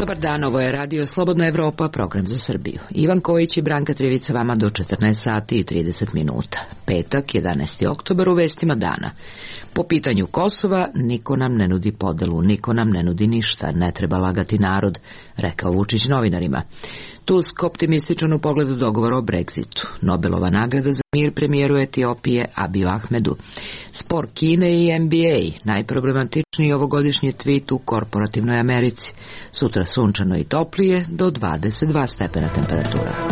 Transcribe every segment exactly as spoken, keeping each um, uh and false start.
Dobar dan, ovo je Radio Slobodna Evropa, program za Srbiju. Ivan Kojić i Branka Trivica vama do četrnaest sati i trideset minuta. Petak, jedanaesti oktobar, u vestima dana. Po pitanju Kosova, niko nam ne nudi podelu, niko nam ne nudi ništa, ne treba lagati narod, rekao Vučić novinarima. Tusk optimističan u pogledu dogovora o Brexitu. Nobelova nagrada za mir premijeru Etiopije Abiju Ahmedu. Spor Kine i N B A, najproblematičniji ovogodišnji tweet u korporativnoj Americi. Sutra sunčano i toplije do dvadeset dva stepena temperatura.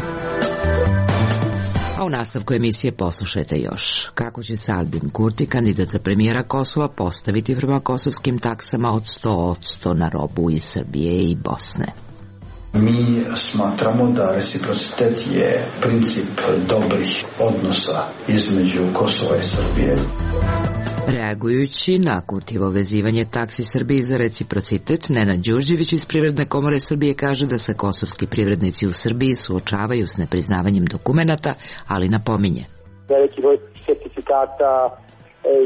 A u nastavku emisije poslušajte još kako će se Albin Kurti, kandidat za premijera Kosova, postaviti prema kosovskim taksama od sto posto na robu iz Srbije i Bosne. Mi smatramo da reciprocitet je princip dobrih odnosa između Kosova i Srbije. Reagujući na Kurtijevo vezivanje taksi Srbiji za reciprocitet, Nenad Đurđević iz Privredne komore Srbije kaže da se kosovski privrednici u Srbiji suočavaju s nepriznavanjem dokumenata, ali napominje. Veliki broj sertifikata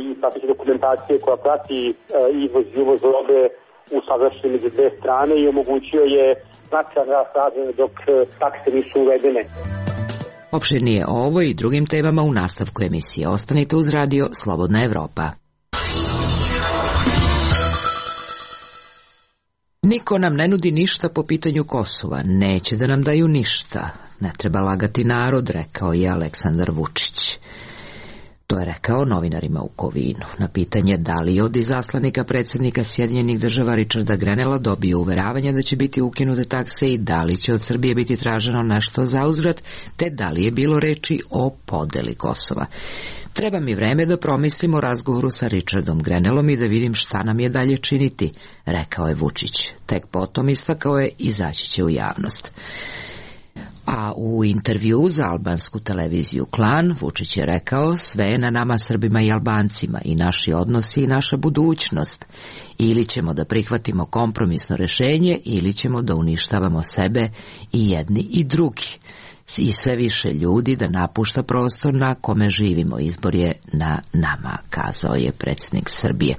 i prateće dokumentacije koja prati izvoz i uvoz robe usaglašen među dve strane i omogućio je značajan rast razvoja dok takse nisu uvedene. Opširnije o ovo i drugim temama u nastavku emisije. Ostanite uz Radio Slobodna Evropa. Niko nam ne nudi ništa po pitanju Kosova. Neće da nam daju ništa. Ne treba lagati narod, rekao je Aleksandar Vučić. To je rekao novinarima u Kovinu. Na pitanje da li od izaslanika predsjednika Sjedinjenih država Richarda Grenella dobio uveravanja da će biti ukinute takse i da li će od Srbije biti traženo nešto zauzvrat, te da li je bilo reči o podeli Kosova. Treba mi vreme da promislim o razgovoru sa Richardom Grenellom i da vidim šta nam je dalje činiti, rekao je Vučić. Tek potom istakao je izaći će u javnost. A u intervju za albansku televiziju Klan, Vučić je rekao: sve je na nama Srbima i Albancima, i naši odnosi i naša budućnost. Ili ćemo da prihvatimo kompromisno rešenje, ili ćemo da uništavamo sebe i jedni i drugi. I sve više ljudi da napušta prostor na kome živimo. Izbor je na nama, kazao je predsjednik Srbije.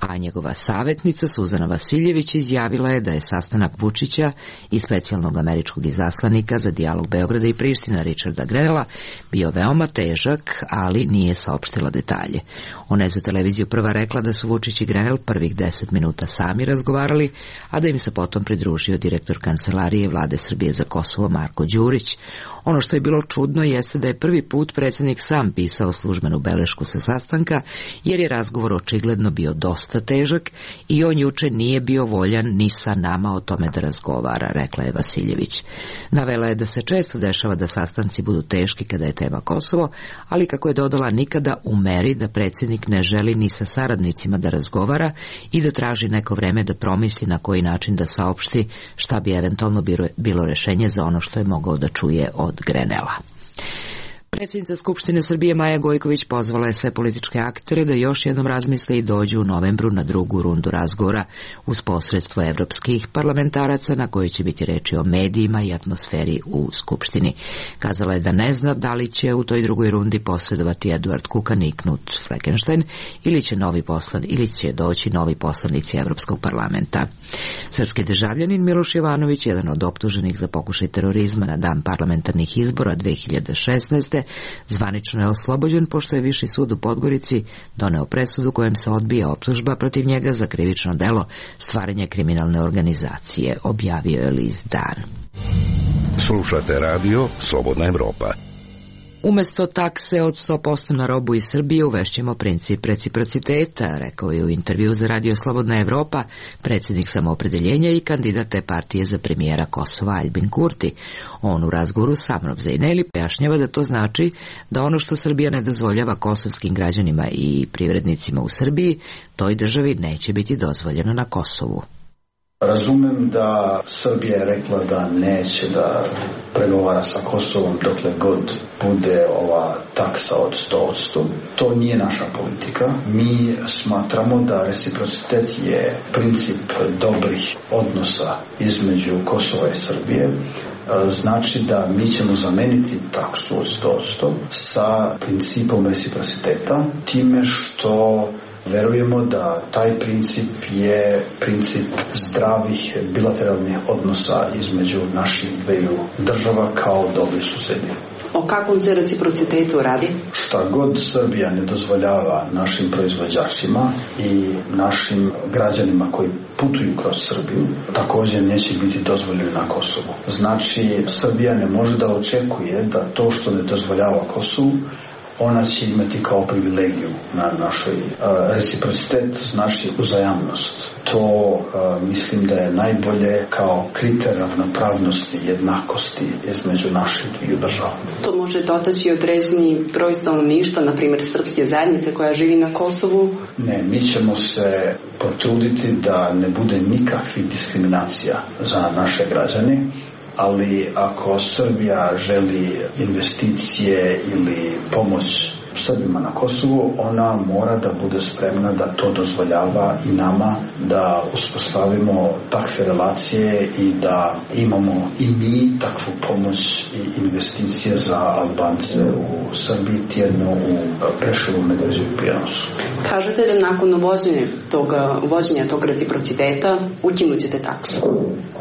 A njegova savjetnica Suzana Vasiljević izjavila je da je sastanak Vučića i specijalnog američkog izaslanika za dijalog Beograda i Priština Richarda Grenella bio veoma težak, ali nije saopštila detalje. Ona je za televiziju Prva rekla da su Vučić i Grenell prvih deset minuta sami razgovarali, a da im se potom pridružio direktor Kancelarije Vlade Srbije za Kosovo Marko Đurić. Ono što je bilo čudno jeste da je prvi put predsjednik sam pisao službenu belešku sa sastanka, jer je razgovor očigledno bio dosta težak i on juče nije bio voljan ni sa nama o tome da razgovara, rekla je Vasiljević. Navela je da se često dešava da sastanci budu teški kada je tema Kosovo, ali kako je dodala, nikada u meri da predsjednik ne želi ni sa saradnicima da razgovara i da traži neko vreme da promisli na koji način da saopšti šta bi eventualno bilo rešenje za ono što je mogao da čuje od Grenella. Predsjednica Skupštine Srbije Maja Gojković pozvala je sve političke aktere da još jednom razmisle i dođu u novembru na drugu rundu razgovora uz posredstvo evropskih parlamentaraca na kojoj će biti reči o medijima i atmosferi u Skupštini. Kazala je da ne zna da li će u toj drugoj rundi posredovati Eduard Kukan i Knut Fleckenstein ili će, novi poslan, ili će doći novi poslanici Evropskog parlamenta. Srpski državljanin Miloš Jovanović, jedan od optuženih za pokušaj terorizma na dan parlamentarnih izbora dve hiljade šesnaeste. zvanično je oslobođen pošto je Viši sud u Podgorici doneo presudu kojom se odbija optužba protiv njega za krivično delo stvaranje kriminalne organizacije, objavio je list Dan. Slušate radio Slobodna Evropa. Umesto takse od sto posto na robu iz Srbije uvešćemo princip reciprociteta, rekao je u intervju za Radio Slobodna Evropa predsjednik Samoopredeljenja i kandidat te partije za premijera Kosova Albin Kurti. On u razgovoru sa Amrom Zejneli pojašnjava da to znači da ono što Srbija ne dozvoljava kosovskim građanima i privrednicima u Srbiji, toj državi neće biti dozvoljeno na Kosovu. Razumem da Srbija je rekla da neće da pregovara sa Kosovom dokle god bude ova taksa od sto posto. To nije naša politika. Mi smatramo da reciprocitet je princip dobrih odnosa između Kosova i Srbije. Znači da mi ćemo zameniti taksu od sto posto sa principom reciprociteta, time što Verujemo da taj princip je princip zdravih bilateralnih odnosa između naših dveju država kao dobri susedi. O kakvom se reciprocitetu radi? Šta god Srbija ne dozvoljava našim proizvođačima i našim građanima koji putuju kroz Srbiju, također neće biti dozvoljeno na Kosovu. Znači, Srbija ne može da očekuje da to što ne dozvoljava Kosovu, ona će imati kao privilegiju na našoj uh, reciprocitet, znači uzajamnost. To uh, mislim da je najbolje kao kriter ravnopravnosti, jednakosti između naših dviju država. Ne, mi ćemo se potruditi da ne bude nikakvih diskriminacija za naše građane. Ali ako Srbija želi investicije ili pomoć Srbima na Kosovu, ona mora da bude spremna da to dozvoljava i nama, da uspostavimo takve relacije i da imamo i mi takvu pomoć i investicije za Albance u Srbiji, tjedno u Preševu, Medveđi i Prijenosu. Kažete da nakon vođenja tog, vođenja tog reciprociteta ukinut ćete taksu?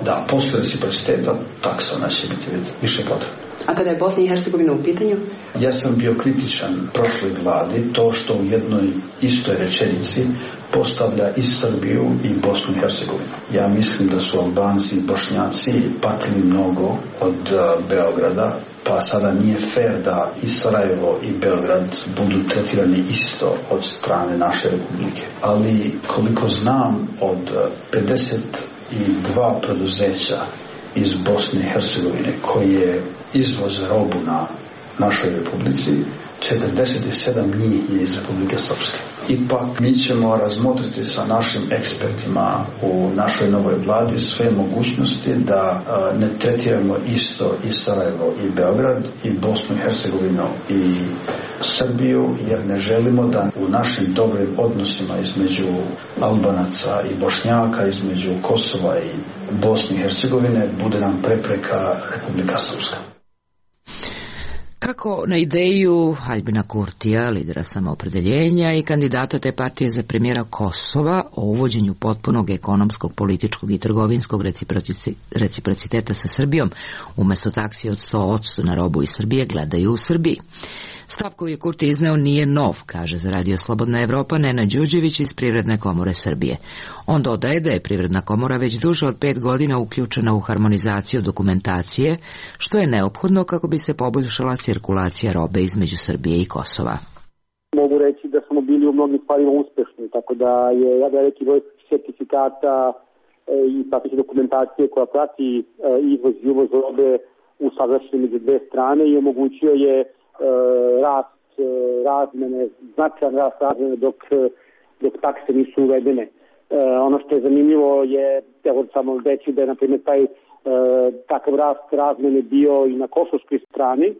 Da, posle reciprociteta taksa neće biti više potrebna. A kada je Bosna i Hercegovina u pitanju? Ja sam bio kritičan prošloj vladi to što u jednoj istoj rečenici postavlja i Srbiju i Bosnu i Hercegovinu. Ja mislim da su Albanci i Bošnjaci patili mnogo od uh, Beograda, pa sada nije fair da i Sarajevo i Beograd budu tretirani isto od strane naše republike. Ali koliko znam, od pedeset dva preduzeća iz Bosne i Hercegovine koje izvoze robu na našoj republici, četrdeset sedam njih je iz Republike Srpske. Ipak mi ćemo razmotriti sa našim ekspertima u našoj novoj vladi sve mogućnosti da a, ne tretiramo isto i Sarajevo i Beograd i Bosnu i Hercegovinu i Srbiju, jer ne želimo da u našim dobrim odnosima između Albanaca i Bošnjaka, između Kosova i Bosne i Hercegovine bude nam prepreka Republika Srpska. Kako na ideju Aljbina Kurtija, lidera samoopredeljenja i kandidata te partije za premijera Kosova o uvođenju potpunog ekonomskog, političkog i trgovinskog reciprociteta sa Srbijom, umjesto taksi od sto posto na robu iz Srbije, gledaju u Srbiji. Stav koji je Kurti izneo nije nov, kaže za Radio Slobodna Evropa Nenad Đurđević iz Privredne komore Srbije. On dodaje da je Privredna komora već duže od pet godina uključena u harmonizaciju dokumentacije, što je neophodno kako bi se poboljšala cirkulacija robe između Srbije i Kosova. Mogu reći da smo bili u mnogim stvarima uspešni, tako da je ja veliki broj sertifikata i prateće dokumentacije koja prati izvoz i uvoz robe usaglašen među dve strane i omogućio je rast razmene, značajan rast razmene dok, dok takse nisu uvedene. E, ono što je zanimljivo je, evo samo reći da je na primjer taj e, takav rast razmene bio i na kosovskoj strani,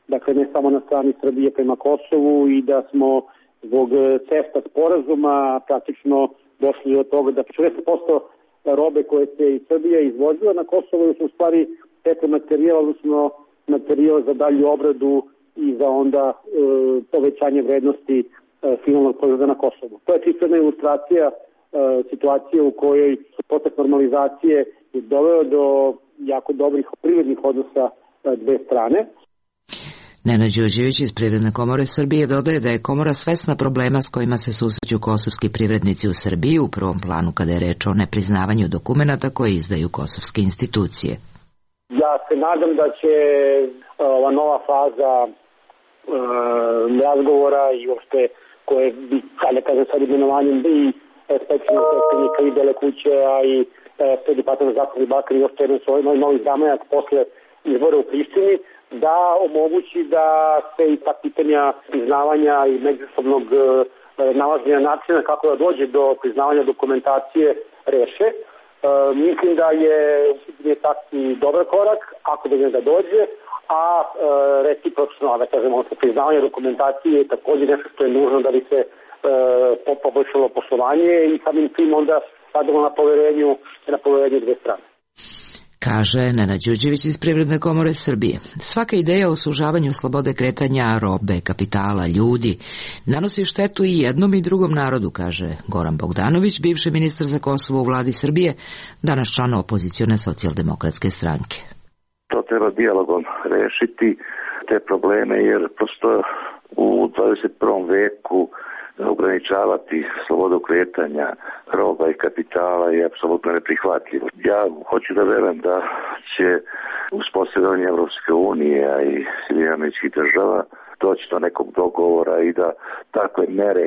dakle ne samo na strani Srbije prema Kosovu, i da smo zbog CEFTA sporazuma praktično došli do toga da četrdeset posto robe koje se iz Srbije izvozila na Kosovo su u stvari petromaterijal, odnosno materijal za dalju obradu i za onda e, povećanje vrednosti e, finalnog proizvoda na Kosovu. To je čisto jedna ilustracija e, situacije u kojoj proces normalizacije je doveo do jako dobrih privrednih odnosa e, dve strane. Nenad Đurđević iz Privredne komore Srbije dodaje da je komora svesna problema s kojima se susreću kosovski privrednici u Srbiji, u prvom planu kada je reč o nepriznavanju dokumenata koje izdaju kosovske institucije. Ja se nadam da će ova nova faza e, razgovora i uopšte koje bi, kada kažem sad imenovanjem i specijalnog predstavnika i Bele kuće, a i sve departament za Zapadni Balkan i uopšte jedan svoj novi zamajac posle izbora u Prištini, da omogući da se i ta pitanja priznavanja i međusobnog e, nalaženja načina kako da dođe do priznavanja dokumentacije reše. E, mislim da je je taksi dobar korak, ako da da dođe, a e, recipročno, da kažemo, priznavanje dokumentacije je također nešto što je nužno da bi se e, poboljšalo poslovanje i samim tim onda radimo na poverenju, na poverenju dve strane. kaže Nenad Đurđević iz Privredne komore Srbije. Svaka ideja o sužavanju slobode kretanja robe, kapitala, ljudi nanosi štetu i jednom i drugom narodu, kaže Goran Bogdanović, bivši ministar za Kosovo u vladi Srbije, danas član opozicione socijaldemokratske stranke. To treba dijalogom rešiti, te probleme, jer prosto u dvadeset prvom veku ograničavati slobodu kretanja roba i kapitala je apsolutno neprihvatljivo. Ja hoću da verujem da će uspostavljanje Evropske unije, a i Sjedinjenih Američkih Država doći do nekog dogovora i da takve mere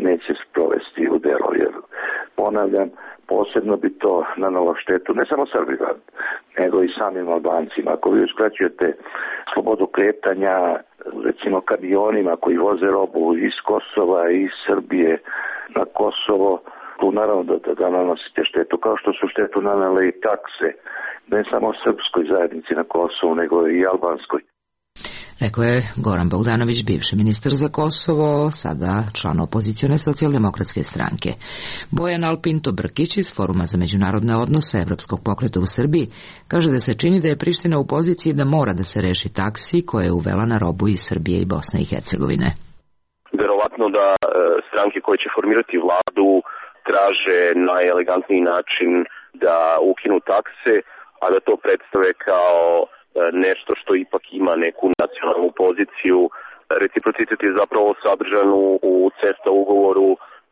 neće sprovesti u delo. Jer, ponavljam, posebno bi to nanalo štetu ne samo Srbima, nego i samim Albancima. Ako vi uskraćujete slobodu kretanja, recimo kamionima koji voze robu iz Kosova i iz Srbije na Kosovo, tu naravno da, da, da nanosite štetu, kao što su štetu nanale i takse, ne samo srpskoj zajednici na Kosovu, nego i albanskoj. Rekao je Goran Bogdanović, bivši ministar za Kosovo, sada član opozicione socijaldemokratske stranke. Bojan Alpinto Brkić iz Foruma za međunarodne odnose Evropskog pokreta u Srbiji kaže da se čini da je Priština u poziciji da mora da se reši taksi koje je uvela na robu iz Srbije i Bosne i Hercegovine. Verovatno da e, stranke koje će formirati vladu traže najelegantniji način da ukinu takse, a da to predstave kao nešto što ipak ima neku nacionalnu poziciju. Reciprocitet je zapravo sadržan u CEFTA ugovoru,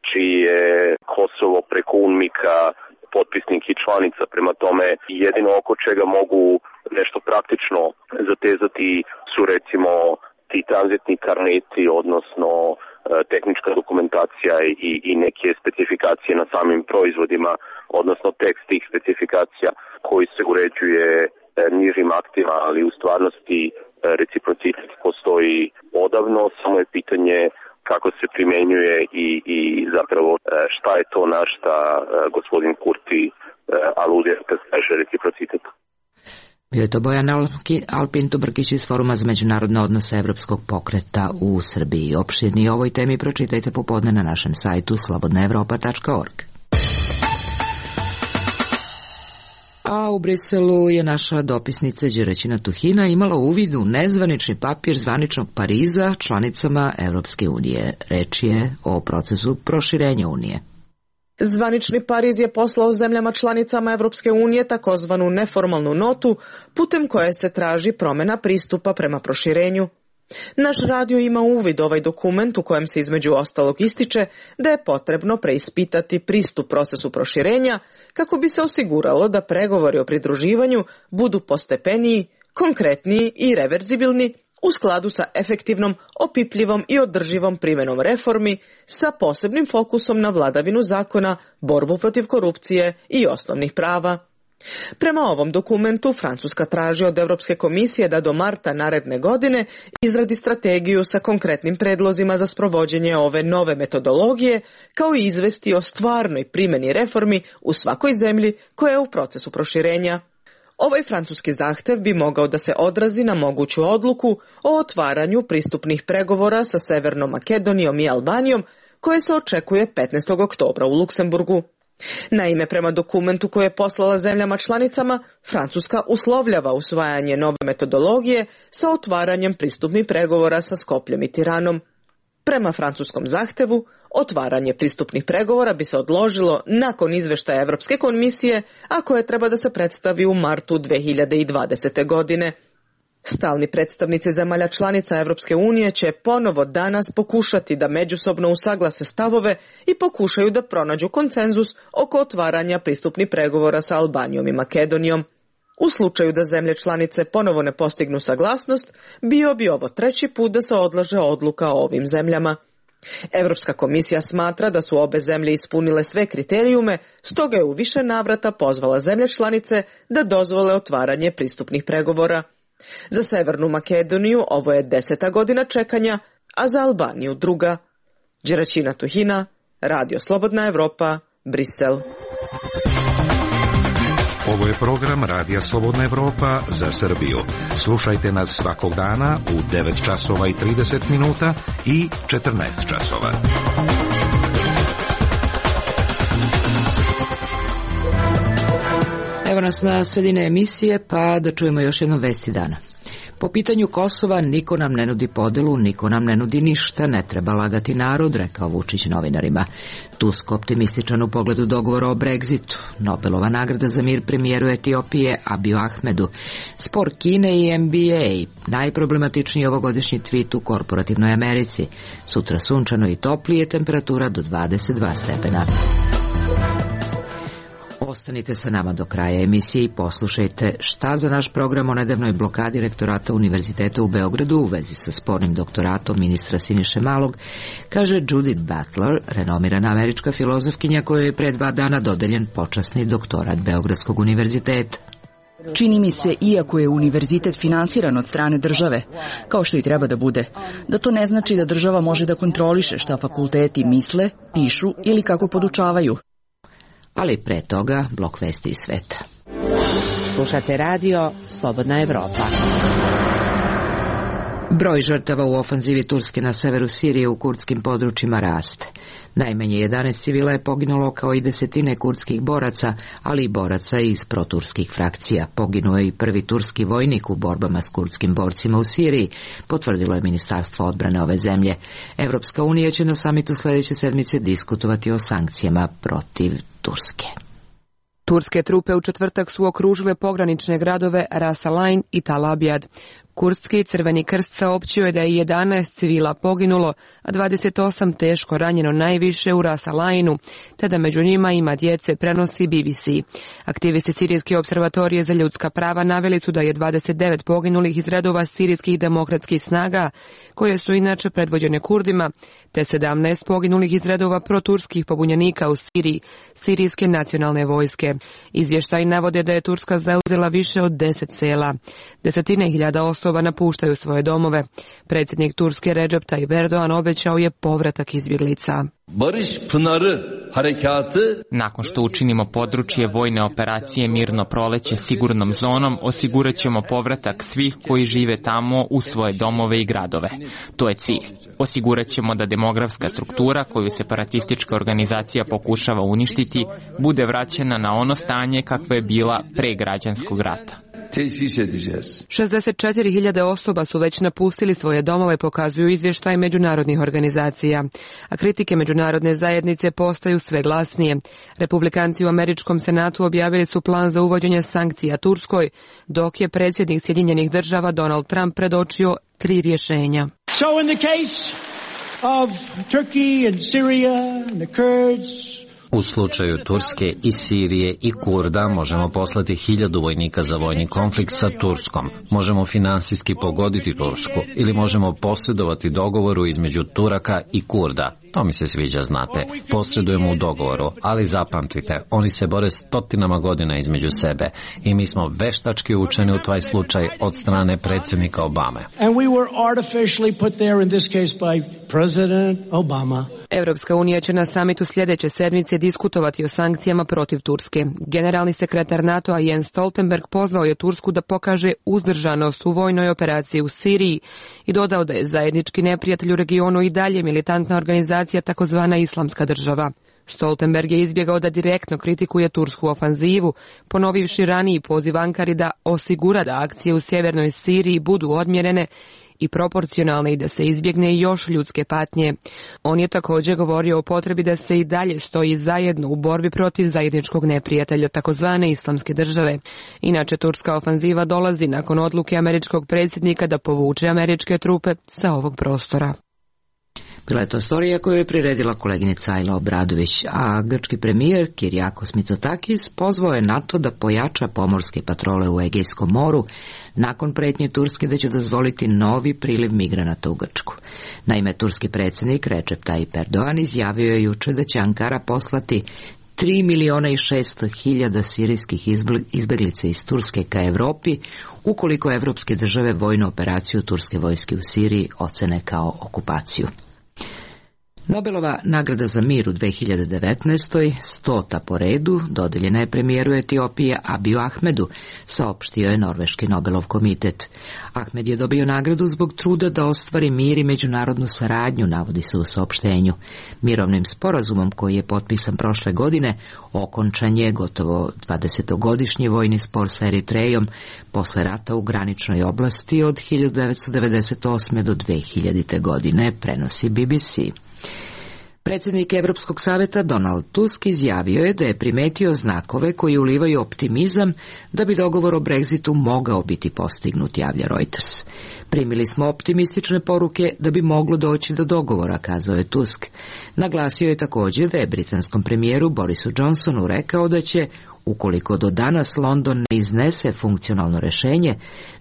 čiji je Kosovo preko UNMIK-a potpisnik i članica. Prema tome, jedino oko čega mogu nešto praktično zatezati su recimo ti tranzitni karneti, odnosno tehnička dokumentacija i, i neke specifikacije na samim proizvodima, odnosno tekst tih specifikacija koji se uređuje nižim aktima, ali u stvarnosti reciprocitet postoji odavno, samo je pitanje kako se primenjuje i, i zapravo šta je to na šta gospodin Kurti aludira kad kaže reciprocitet. Bio je to Bojan Alpinto Brkić iz Foruma za međunarodne odnose Evropskog pokreta u Srbiji. Opširnije o ovoj temi pročitajte popodne na našem sajtu slobodna evropa tačka org. A u Briselu je naša dopisnica Đeraćina Tuhina imala uvid u nezvanični papir zvaničnog Pariza članicama Evropske unije. Reč je o procesu proširenja Unije. Zvanični Pariz je poslao zemljama članicama Evropske unije takozvanu neformalnu notu putem koje se traži promjena pristupa prema proširenju. Naš radio ima uvid ovaj dokument u kojem se između ostalog ističe da je potrebno preispitati pristup procesu proširenja kako bi se osiguralo da pregovori o pridruživanju budu postepeniji, konkretniji i reverzibilni u skladu sa efektivnom, opipljivom i održivom primjenom reformi sa posebnim fokusom na vladavinu zakona, borbu protiv korupcije i osnovnih prava. Prema ovom dokumentu Francuska traži od Europske komisije da do marta naredne godine izradi strategiju sa konkretnim predlozima za sprovođenje ove nove metodologije, kao i izvesti o stvarnoj primjeni reformi u svakoj zemlji koja je u procesu proširenja. Ovaj francuski zahtev bi mogao da se odrazi na moguću odluku o otvaranju pristupnih pregovora sa Severnom Makedonijom i Albanijom, koje se očekuje petnaestog oktobra u Luksemburgu. Naime, prema dokumentu koje je poslala zemljama članicama, Francuska uslovljava usvajanje nove metodologije sa otvaranjem pristupnih pregovora sa Skopljem i Tiranom. Prema francuskom zahtevu, otvaranje pristupnih pregovora bi se odložilo nakon izveštaja Evropske komisije, a koje treba da se predstavi u martu dve hiljade dvadesete. godine. Stalni predstavnici zemalja članica Evropske unije će ponovo danas pokušati da međusobno usaglase stavove i pokušaju da pronađu konsenzus oko otvaranja pristupnih pregovora sa Albanijom i Makedonijom. U slučaju da zemlje članice ponovo ne postignu saglasnost, bio bi ovo treći put da se odlaže odluka o ovim zemljama. Evropska komisija smatra da su obe zemlje ispunile sve kriterijume, stoga je u više navrata pozvala zemlje članice da dozvole otvaranje pristupnih pregovora. Za Severnu Makedoniju ovo je deseta godina čekanja, a za Albaniju druga. Đeraćina Tuhina, Radio Slobodna Evropa, Brisel. Ovo je program Radija Slobodna Evropa za Srbiju. Slušajte nas svakog dana u devet časova i trideset minuta i četrnaest časova. Evo Evo nas na sredine emisije, pa da čujemo još jedno vesti dana. Po pitanju Kosova niko nam ne nudi podelu, niko nam ne nudi ništa, ne treba lagati narod, rekao Vučić novinarima. Tusk optimističan u pogledu dogovora o Brexitu. Nobelova nagrada za mir premijeru Etiopije Abiju Ahmedu. Spor Kine i N B A, najproblematičniji ovogodišnji tweet u korporativnoj Americi. Sutra sunčano i toplije, temperatura do dvadeset dva stepena. Ostanite sa nama do kraja emisije i poslušajte šta za naš program o nedavnoj blokadi rektorata Univerziteta u Beogradu u vezi sa spornim doktoratom ministra Siniše Malog, kaže Judith Butler, renomirana američka filozofkinja kojoj je pre dva dana dodeljen počasni doktorat Beogradskog univerziteta. Čini mi se, iako je univerzitet finansiran od strane države, kao što i treba da bude, da to ne znači da država može da kontroliše šta fakulteti misle, pišu ili kako podučavaju. Ali pre toga blok vesti iz sveta. Slušate radio Slobodna Evropa. Broj žrtava u ofanzivi Turske na severu Sirije u kurdskim područjima raste. Najmanje jedanaest civila je poginulo kao i desetine kurdskih boraca, ali i boraca iz proturskih frakcija. Poginuo je i prvi turski vojnik u borbama s kurdskim borcima u Siriji, potvrdilo je Ministarstvo odbrane ove zemlje. Evropska unija će na samitu sljedeće sedmice diskutovati o sankcijama protiv Turske. Turske trupe u četvrtak su okružile pogranične gradove Ras Al-Ain i Tal Abyad. Kurdski Crveni krst saopćio je da je jedanaest civila poginulo, a dvadeset osam teško ranjeno, najviše u Ras Al-Ainu, te da među njima ima djece, prenosi B B C. Aktivisti Sirijske observatorije za ljudska prava naveli su da je dvadeset devet poginulih iz redova sirijskih demokratskih snaga, koje su inače predvođene Kurdima, te sedamnaest poginulih iz redova proturskih pobunjenika u Siriji, Sirijske nacionalne vojske. Izvještaji navode da je Turska zauzela više od deset sela. Desetine hiljada osoba napuštaju svoje domove. Predsjednik Turske Recep Tayyip Erdogan obećao je povratak izbjeglica. Nakon što učinimo područje vojne operacije Mirno proleće sigurnom zonom, osigurat ćemo povratak svih koji žive tamo u svoje domove i gradove. To je cilj. Osigurat ćemo da demografska struktura koju separatistička organizacija pokušava uništiti bude vraćena na ono stanje kakvo je bila pre građanskog rata. šezdeset četiri hiljade osoba su već napustili svoje domove, pokazuju izvještaj međunarodnih organizacija. A kritike međunarodne zajednice postaju sve glasnije. Republikanci u američkom senatu objavili su plan za uvođenje sankcija Turskoj, dok je predsjednik Sjedinjenih država Donald Trump predočio tri rješenja. So in the case of Turkey and Syria and the Kurds, u slučaju Turske i Sirije i Kurda možemo poslati hiljadu vojnika za vojni konflikt sa Turskom. Možemo finansijski pogoditi Tursku ili možemo posredovati dogovoru između Turaka i Kurda. To mi se sviđa, znate. Posredujemo u dogovoru, ali zapamtite, oni se bore stotinama godina između sebe i mi smo veštački učeni u taj slučaj od strane predsjednika Obame. And we were artificially put there in this case by President Obama. Evropska unija će na samitu sljedeće sedmice diskutovati o sankcijama protiv Turske. Generalni sekretar NATO-a Jens Stoltenberg pozvao je Tursku da pokaže uzdržanost u vojnoj operaciji u Siriji i dodao da je zajednički neprijatelj u regionu i dalje militantna organizacija takozvana Islamska država. Stoltenberg je izbjegao da direktno kritikuje tursku ofanzivu, ponovivši raniji poziv Ankari da osigura da akcije u sjevernoj Siriji budu odmjerene i proporcionalne i da se izbjegne još ljudske patnje. On je također govorio o potrebi da se i dalje stoji zajedno u borbi protiv zajedničkog neprijatelja, takozvane Islamske države. Inače, turska ofanziva dolazi nakon odluke američkog predsjednika da povuče američke trupe sa ovog prostora. Bila je to storija koju je priredila koleginica Ajla Obradović, a grčki premijer Kyriakos Mitsotakis pozvao je NATO da pojača pomorske patrole u Egejskom moru nakon pretnje Turske da će dozvoliti novi priliv migranata u Grčku. Naime, turski predsjednik Recep Tayyip Erdogan izjavio je juče da će Ankara poslati tri miliona i šesto hiljada sirijskih izbjeglica iz Turske ka Evropi ukoliko evropske države vojnu operaciju turske vojske u Siriji ocene kao okupaciju. Nobelova nagrada za mir u dve hiljade devetnaestoj, stota po redu, dodeljena je premijeru Etiopije Abiju Ahmedu, saopštio je Norveški Nobelov komitet. Ahmed je dobio nagradu zbog truda da ostvari mir i međunarodnu saradnju, navodi se u saopštenju. Mirovnim sporazumom koji je potpisan prošle godine okončan je gotovo dvadesetogodišnji vojni spor sa Eritrejom posle rata u graničnoj oblasti od hiljadu devetsto devedeset osme do dve hiljadite. godine, prenosi B B C. Predsjednik Evropskog saveta Donald Tusk izjavio je da je primetio znakove koji ulivaju optimizam da bi dogovor o Brexitu mogao biti postignut, javlja Reuters. Primili smo optimistične poruke da bi moglo doći do dogovora, kazao je Tusk. Naglasio je također da je britanskom premijeru Borisu Johnsonu rekao da će, ukoliko do danas London ne iznese funkcionalno rešenje,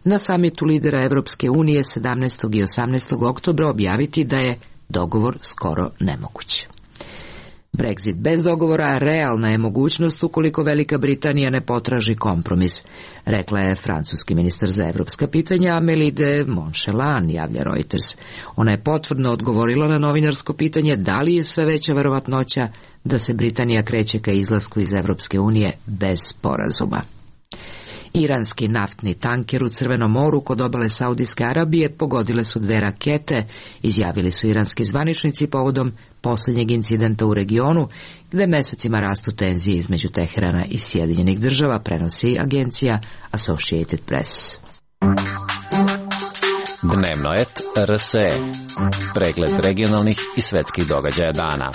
na samitu lidera Evropske unije sedamnaestog i osamnaestog oktobra objaviti da je dogovor skoro nemoguć. Brexit bez dogovora realna je mogućnost ukoliko Velika Britanija ne potraži kompromis, rekla je francuski ministar za evropska pitanja Amélie de Montchalin, javlja Reuters. Ona je potvrdno odgovorila na novinarsko pitanje da li je sve veća verovatnoća da se Britanija kreće ka izlasku iz Evropske unije bez sporazuma. Iranski naftni tanker u Crvenom moru kod obale Saudijske Arabije pogodile su dve rakete, izjavili su iranski zvaničnici povodom posljednjeg incidenta u regionu, gde mesecima rastu tenzije između Teherana i Sjedinjenih država, prenosi agencija Associated Press. Dnevno et R S E. Pregled regionalnih i svetskih događaja dana.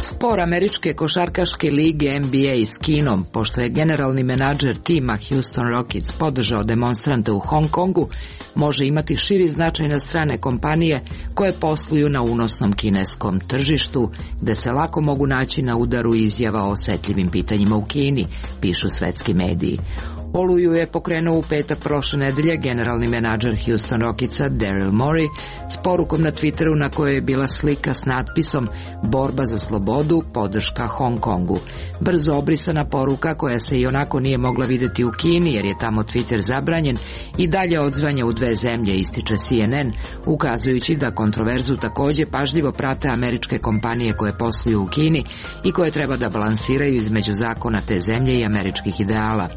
Spor američke košarkaške lige N B A s Kinom, pošto je generalni menadžer tima Houston Rockets podržao demonstrante u Hong Kongu, može imati širi značaj na strane kompanije koje posluju na unosnom kineskom tržištu, gde se lako mogu naći na udaru izjava o osetljivim pitanjima u Kini, pišu svetski mediji. Oluju je pokrenuo u petak prošle nedelje generalni menadžer Houston Rocketsa Daryl Morey s porukom na Twitteru na kojoj je bila slika s natpisom "Borba za slobodu, podrška Hong Kongu". Brzo obrisana poruka, koja se i onako nije mogla videti u Kini jer je tamo Twitter zabranjen, i dalje odzvanja u dve zemlje, ističe C N N, ukazujući da kontroverzu također pažljivo prate američke kompanije koje posluju u Kini i koje treba da balansiraju između zakona te zemlje i američkih ideala.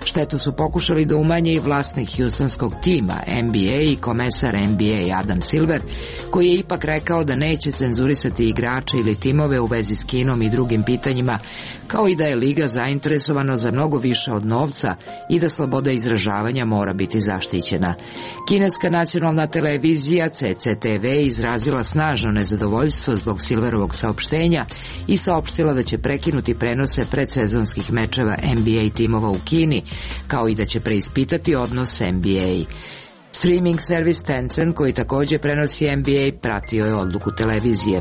Štetu su pokušali da umanje i vlasnik Houstonskog tima N B A i komesar N B A Adam Silver, koji je ipak rekao da neće cenzurisati igrače ili timove u vezi s Kinom i drugim pitanjima, kao i da je liga zainteresovana za mnogo više od novca i da sloboda izražavanja mora biti zaštićena. Kineska nacionalna televizija C C T V izrazila snažno nezadovoljstvo zbog Silverovog saopštenja i saopštila da će prekinuti prenose predsezonskih mečeva N B A timova u Kini, kao i da će preispitati odnos N B A. Streaming servis Tencent, koji također prenosi N B A, pratio je odluku televizije.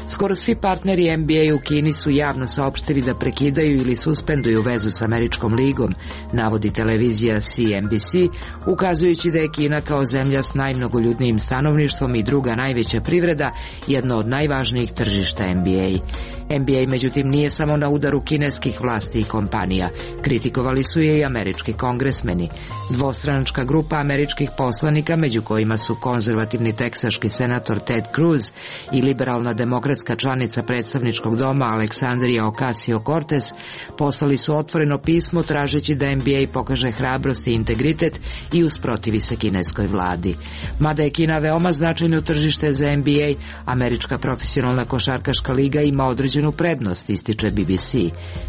Skoro svi partneri N B A u Kini su javno saopštili da prekidaju ili suspenduju vezu s američkom ligom, navodi televizija C N B C, ukazujući da je Kina kao zemlja s najmnogoljudnijim stanovništvom i druga najveća privreda jedno od najvažnijih tržišta N B A. N B A međutim nije samo na udaru kineskih vlasti i kompanija. Kritikovali su je i američki kongresmeni. Dvostranačka grupa američkih poslanika, među kojima su konzervativni teksaški senator Ted Cruz i liberalna demokratska članica predstavničkog doma Aleksandrija Ocasio-Cortez, poslali su otvoreno pismo tražeći da N B A pokaže hrabrost i integritet i usprotivi se kineskoj vladi. Mada je Kina veoma značajno tržište za N B A, američka profesionalna košarkaška liga ima određenu prednost, ističe B B C.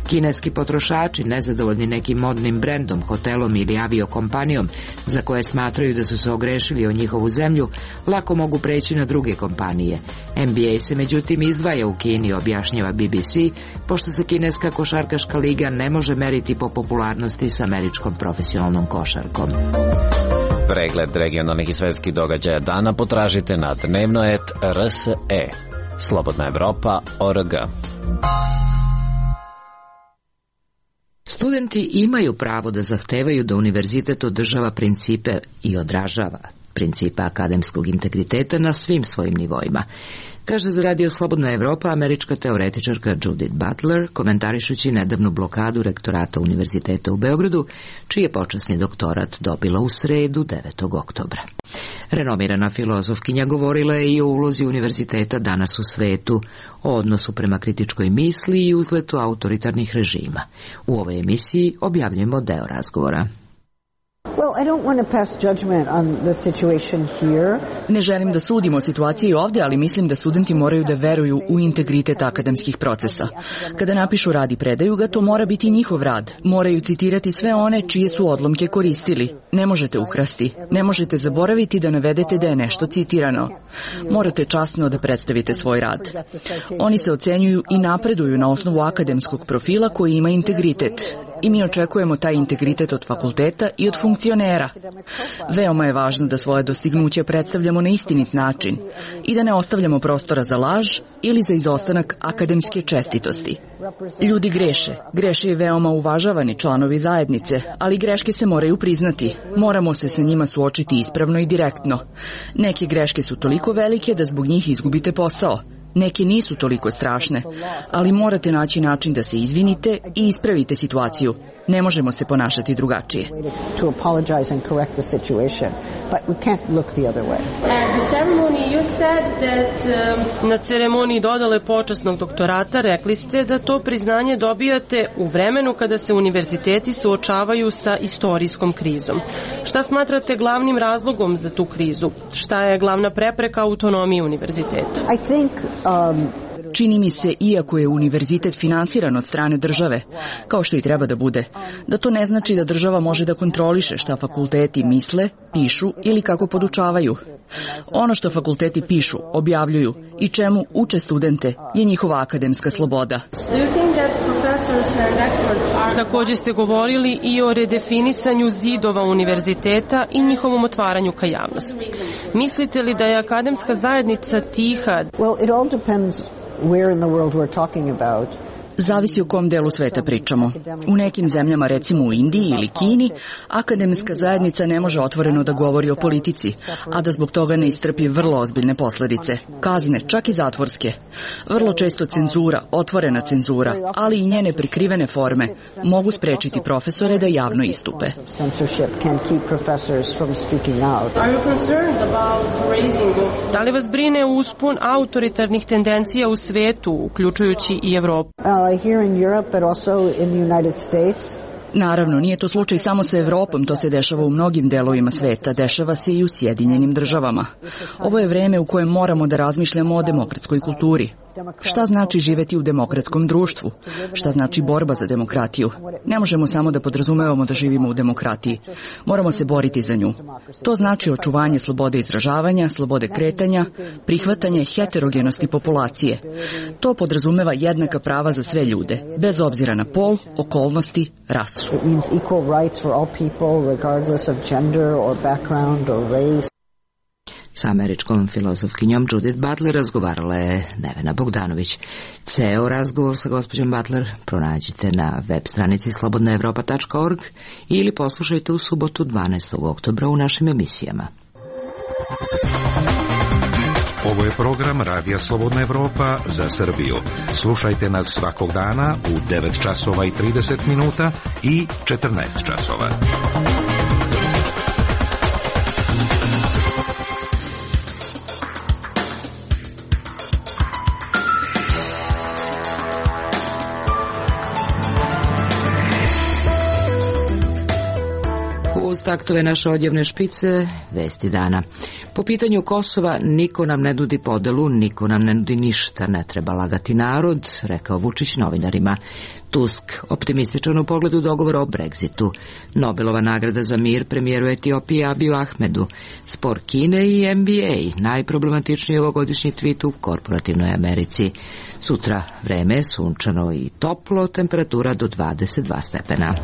Kineski potrošači, nezadovoljni nekim modnim brendom, hotelom ili aviokompanijom, za koje smatraju da su se ogrešili o njihovu zemlju, lako mogu preći na druge kompanije. N B A se međutim izdvaja u Kini, objašnjava B B C, pošto se kineska košarkaška liga ne može meriti po popularnosti s američkom profesionalnom košarkom. Pregled regionalnih i svetskih događaja dana potražite na dnevno et R S E. Slobodna Evropa, O R G. Studenti imaju pravo da zahtevaju da univerzitet održava principe i odražava principe akademskog integriteta na svim svojim nivoima, kaže za Radio Slobodna Evropa američka teoretičarka Judith Butler, komentarišući nedavnu blokadu rektorata Univerziteta u Beogradu, čiji je počasni doktorat dobila u sredu devetog oktobra. Renomirana filozofkinja govorila je i o ulozi univerziteta danas u svetu, o odnosu prema kritičkoj misli i uzletu autoritarnih režima. U ovoj emisiji objavljujemo deo razgovora. Ne želim da sudim o situaciji ovdje, ali mislim da studenti moraju da veruju u integritet akademskih procesa. Kada napišu rad i predaju ga, to mora biti njihov rad. Moraju citirati sve one čije su odlomke koristili. Ne možete ukrasti. Ne možete zaboraviti da navedete da je nešto citirano. Morate časno da predstavite svoj rad. Oni se ocenjuju i napreduju na osnovu akademskog profila koji ima integritet. I mi očekujemo taj integritet od fakulteta i od funkcionera. Veoma je važno da svoje dostignuće predstavljamo na istinit način i da ne ostavljamo prostora za laž ili za izostanak akademske čestitosti. Ljudi greše. Greše i veoma uvažavani članovi zajednice, ali greške se moraju priznati. Moramo se sa njima suočiti ispravno i direktno. Neke greške su toliko velike da zbog njih izgubite posao. Neke nisu toliko strašne, ali morate naći način da se izvinite i ispravite situaciju. Ne možemo se ponašati drugačije. Na ceremoniji dodale počasnog doktorata rekli ste da to priznanje dobijate u vremenu kada se univerziteti suočavaju sa istorijskom krizom. Šta smatrate glavnim razlogom za tu krizu? Šta je glavna prepreka autonomiji univerziteta? Čini mi se, iako je univerzitet finansiran od strane države, kao što i treba da bude, da to ne znači da država može da kontroliše šta fakulteti misle, pišu ili kako podučavaju. Ono što fakulteti pišu, objavljuju i čemu uče studente je njihova akademska sloboda. Također ste govorili i o redefinisanju zidova univerziteta i njihovom otvaranju ka javnosti. Mislite li da je akademska zajednica tiha? Where in the world we're talking about. Zavisi o kom delu sveta pričamo. U nekim zemljama, recimo u Indiji ili Kini, akademska zajednica ne može otvoreno da govori o politici, a da zbog toga ne istrpi vrlo ozbiljne posledice. Kazne, čak i zatvorske. Vrlo često cenzura, otvorena cenzura, ali i njene prikrivene forme mogu sprečiti profesore da javno istupe. Da li vas brine uspon autoritarnih tendencija u svetu, uključujući i Evropu? Here in Europe, but also in the United States. Naravno, nije to slučaj samo sa Evropom, to se dešava u mnogim delovima sveta, dešava se i u Sjedinjenim državama. Ovo je vreme u kojem moramo da razmišljamo o demokratskoj kulturi. Šta znači živeti u demokratskom društvu? Šta znači borba za demokratiju? Ne možemo samo da podrazumevamo da živimo u demokratiji. Moramo se boriti za nju. To znači očuvanje slobode izražavanja, slobode kretanja, prihvatanje heterogenosti populacije. To podrazumeva jednaka prava za sve ljude, bez obzira na pol, okolnosti, rasu. Sa američkom filozofkinjom Judith Butler razgovarala je Nevena Bogdanović. Ceo razgovor sa gospođom Butler pronađite na web stranici slobodna evropa tačka org ili poslušajte u subotu dvanaestog oktobra u našim emisijama. Ovo je program Radija Slobodna Evropa za Srbiju. Slušajte nas svakog dana u devet časova i trideset minuta i četrnaest časova. Uz taktove naše odjevne špice, vesti dana. Po pitanju Kosova niko nam ne nudi podelu, niko nam ne nudi ništa, ne treba lagati narod, rekao Vučić novinarima. Tusk, optimističan u pogledu dogovora o Brexitu. Nobelova nagrada za mir premijeru Etiopije Abiju Ahmedu. Spor Kine i N B A, najproblematičniji ovogodišnji tweet u korporativnoj Americi. Sutra vreme sunčano i toplo, temperatura do dvadeset dva stepena.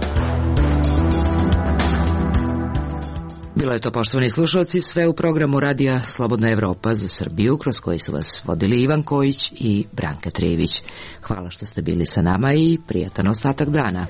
Bilo je to, poštovani slušalci, sve u programu Radija Slobodna Evropa za Srbiju, kroz koji su vas vodili Ivan Kojić i Branka Trijević. Hvala što ste bili sa nama i prijatan ostatak dana.